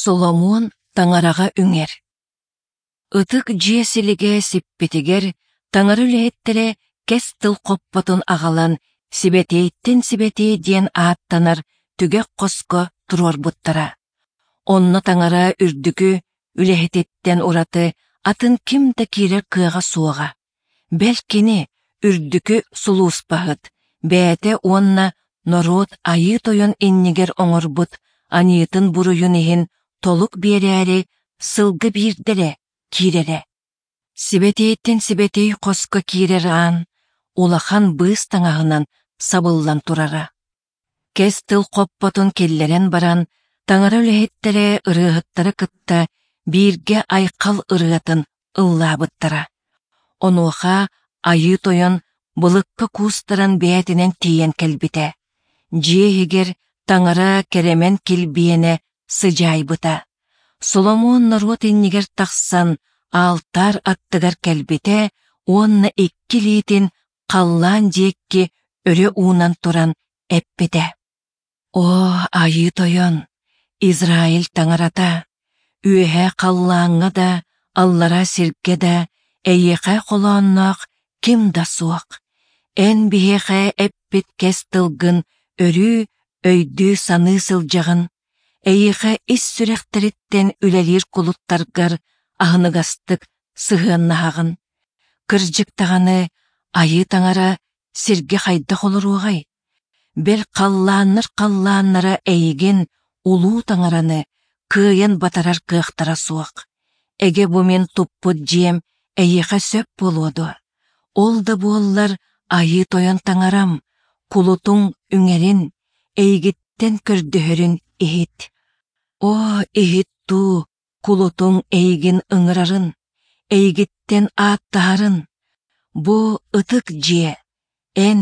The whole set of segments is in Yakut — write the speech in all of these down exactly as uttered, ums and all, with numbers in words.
Соломуон Таҥараҕа үҥэр. Ытык Дьиэ силигэ сиппитигэр Таҥара үлэһиттэрэ Кэс Тыл хоппотун аҕалан Сибэтиэйтэн сибэтиэй диэн ааттанар түгэх хоско туруорбуттара. Онно Таҥара үрдүкү үлэһититтэн ураты атын ким да киирэр кыаҕа суоҕа. Бэл кини, үрдүкү сулууспаһыт, бэйэтэ уонна норуот Айыы Тойон иннигэр оҥорбут аньыытын-буруйун иһин толук биэрээри сылга биирдэ эрэ киирэрэ. Сибэтиэйтэн сибэтиэй хоско киирэр аан улахан быыс таҥаһынан сабыллан турара. Кэс тыл хоппотун киллэрэн баран, Таҥара үлэһиттэрэ ырыаһыттары кытта бииргэ айхал ырыатын ыллаабыттара. Онуоха Айыы Тойон былыкка куустаран бэйэтинэн тиийэн кэлбитэ. Дьиэ иһигэр Таҥара кэрэмэн килбиэнэ сыдьаайбыта. Соломуон норуот иннигэр тахсан аалтаар аттыгар кэлбитэ уонна икки илиитин халлаан диэки өрө уунан туран эппитэ: «О, Айыы Тойон, Израиль Таҥарата, үөһээ халлааҥҥа да, аллараа сиргэ да эйиэхэ холоонноох ким да суох. Эн биһиэхэ эппит кэс тылгын өрүү өйдүү-саныы сылдьаҕын, эйиэхэ ис сүрэхтэриттэн үлэлиир кулуттаргар аһыныгастык сыһыаннаһаҕын. Кырдьык даҕаны, Айыы Таҥара сиргэ хайдах олоруоҕай? Бэл халлааннар халлааннара эйигин, улуу Таҥараны, кыайан батарар кыахтара суох. Эгэ бу мин туппут дьиэм эйиэхэ сөп буолуо дуо? Ол да буоллар Айыы Тойон Таҥарам, кулутуҥ үҥэрин, эйигиттэн көрдөһөрүн иһит. Оо, иһит дуу, кулутуҥ эйигин ыҥырарын, эйигиттэн ааттаһарын. Бу ытык дьиэ, эн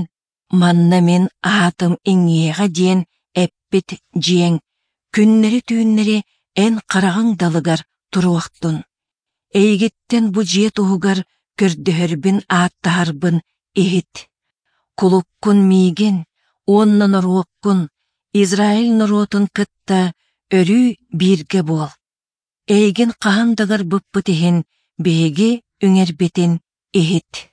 манна мин аатым иҥиэҕэ диэн эппит дьиэҥ күннэри-түүннэри эн хараҕыҥ далыгар туруохтун. Эйигиттэн бу дьиэ туһугар көрдөһөрбүн ааттаһарбын иһит. Кулуккун миигин уонна норуоккун, Израиль норуотун кытта өрүү бииргэ буол. Эйигин хаһан да ыҥырбыппыт иһин биһиги үҥэрбитин иһит.